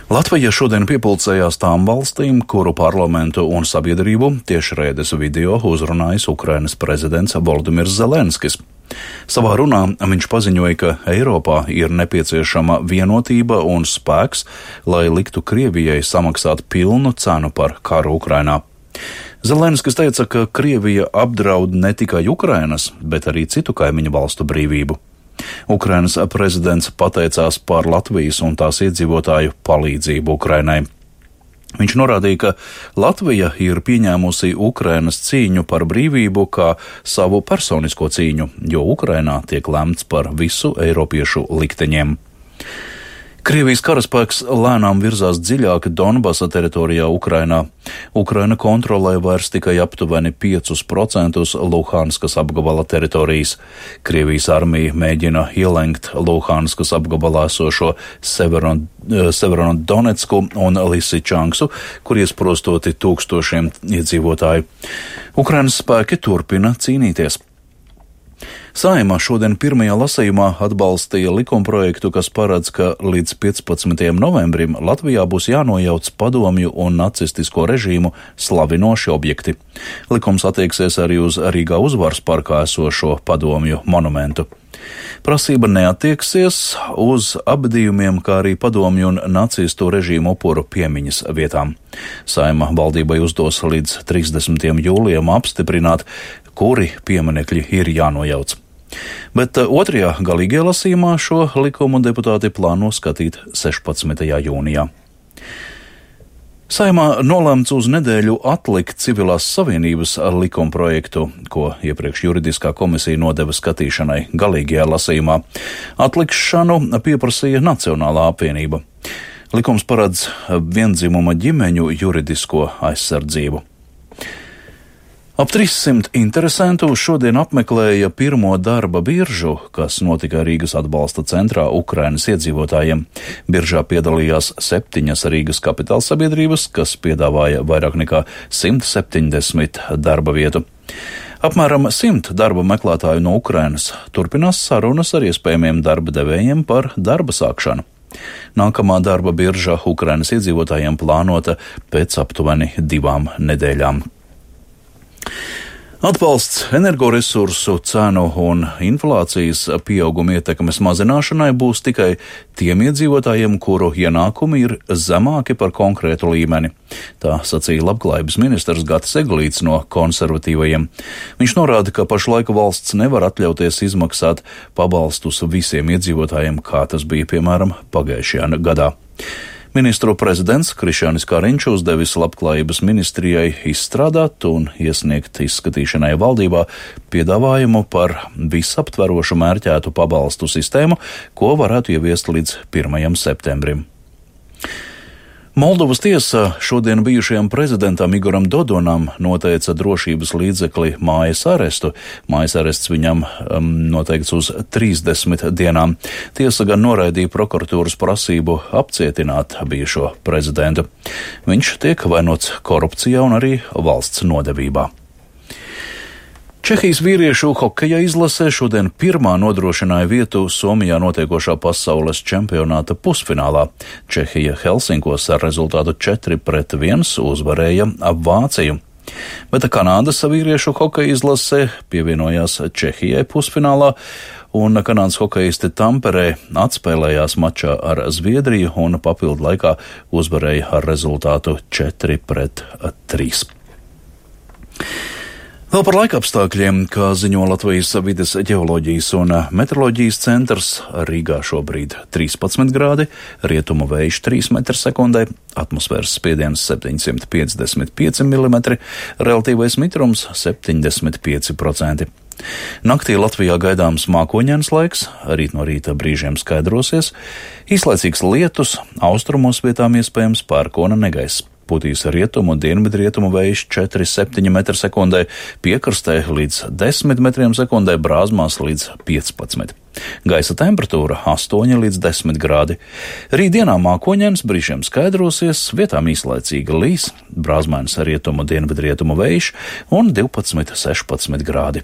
Latvija šodien piepulcējās tām valstīm, kuru parlamentu un sabiedrību tiešraides video uzrunājis Ukrainas prezidents Volodimirs Zelenskis. Savā runā viņš paziņoja, ka Eiropā ir nepieciešama vienotība un spēks, lai liktu Krievijai samaksāt pilnu cenu par karu Ukrainā. Zelenskis teica, ka Krievija apdraud ne tikai Ukrainas, bet arī citu kaimiņu valstu brīvību. Ukrainas prezidents pateicās par Latvijas un tās iedzīvotāju palīdzību Ukrainai. Viņš norādīja, ka Latvija ir pieņēmusi Ukrainas cīņu par brīvību kā savu personisko cīņu, jo Ukrainā tiek lemts par visu eiropiešu likteņiem. Krievijas karaspēks lēnām virzās dziļāk Donbasa teritorijā Ukrainā. Ukraina kontrolē vairs tikai aptuveni 5% Luhanskas apgabala teritorijas. Krievijas armija mēģina ielenkt Luhanskas apgabalā esošo Severodonetsku un Lisičanksu, kur iesprostoti tūkstošiem iedzīvotāju. Ukrainas spēki turpina cīnīties. Saeima šodien pirmajā lasījumā atbalstīja likumprojektu, kas paredz, ka līdz 15. novembrim Latvijā būs jānojauc padomju un nacistisko režīmu slavinoši objekti. Likums attieksies arī uz Rīgā Uzvaras parkā esošo padomju monumentu. Prasība neattieksies uz apbedījumiem, kā arī padomju un nacistu režīmu upuru piemiņas vietām. Saeima valdībai uzdos līdz 30. jūlijam apstiprināt, kuri pieminekļi ir jānojauc. Bet otrajā galīgajā lasījumā šo likumu deputāti plāno skatīt 16. jūnijā. Saeimā nolēmts uz nedēļu atlikt civilās savienības likumprojektu, ko iepriekš juridiskā komisija nodeva skatīšanai galīgajā lasījumā. Atlikšanu pieprasīja Nacionālā apvienība. Likums paredz viendzimuma ģimeņu juridisko aizsardzību. Ap 300 interesentu šodien apmeklēja pirmo darba biržu, kas notika Rīgas atbalsta centrā Ukrainas iedzīvotājiem. Biržā piedalījās 7 Rīgas kapitāla sabiedrības, kas piedāvāja vairāk nekā 170 darba vietu. Apmēram 100 darba meklētāju no Ukrainas turpinās sarunas ar iespējamiem darba devējiem par darba sākšanu. Nākamā darba birža Ukrainas iedzīvotājiem plānota pēc aptuveni 2 nedēļām. Atbalsts energoresursu cenu un inflācijas pieauguma ietekmes mazināšanai būs tikai tiem iedzīvotājiem, kuru ienākumi ir zemāki par konkrētu līmeni. Tā sacīja labklājības ministrs Gatis Eglīts no konservatīvajiem. Viņš norāda, ka pašlaik valsts nevar atļauties izmaksāt pabalstus visiem iedzīvotājiem, kā tas bija, piemēram, pagājušajā gadā. Ministru prezidents Krišjānis Kariņš uzdevis labklājības ministrijai izstrādāt un iesniegt izskatīšanai valdībā piedāvājumu par visaptverošu mērķētu pabalstu sistēmu, ko varētu ieviest līdz 1. septembrim. Moldovas tiesa šodien bijušajam prezidentam Igoram Dodonam noteica drošības līdzekli mājas arestu. Mājas arests viņam noteikts uz 30 dienām. Tiesa gan noraidīja prokuratūras prasību apcietināt bijušo prezidentu. Viņš tiek vainots korupcijā un arī valsts nodevībā. Čehijas vīriešu hokeja izlasē šodien pirmā nodrošināja vietu Somijā notiekošā pasaules čempionāta pusfinālā. Čehija Helsinkos ar rezultātu 4-1 uzvarēja Vāciju. Bet Kanādas vīriešu hokeja izlasē pievienojās Čehijai pusfinālā, un kanādas hokejisti Tamperē atspēlējās mačā ar Zviedriju un papildu laikā uzvarēja ar rezultātu 4-3. Vēl par laikapstākļiem, kā ziņo Latvijas vides ģeoloģijas un meteoroloģijas centrs, Rīgā šobrīd 13 grādi, rietumu vējš 3 m/sekundē, atmosfēras spiediens 755 mm, relatīvais mitrums 75%. Naktī Latvijā gaidāms mākoņains laiks, rīt no rīta brīžiem skaidrosies, īslaicīgs lietus, austrumos vietām iespējams pērkona negaiss. Putīs rietumu un dienvidrietumu vējš 4,7 m/sekundē, piekrastē līdz 10 m/sekundē, brāzmās līdz 15. Gaisa temperatūra 8 līdz 10 grādi. Rītdienā mākoņains, brīžiem skaidrosies, vietām īslaicīga līs, brāzmainas rietumu un dienvidrietumu vējš un 12-16 grādi.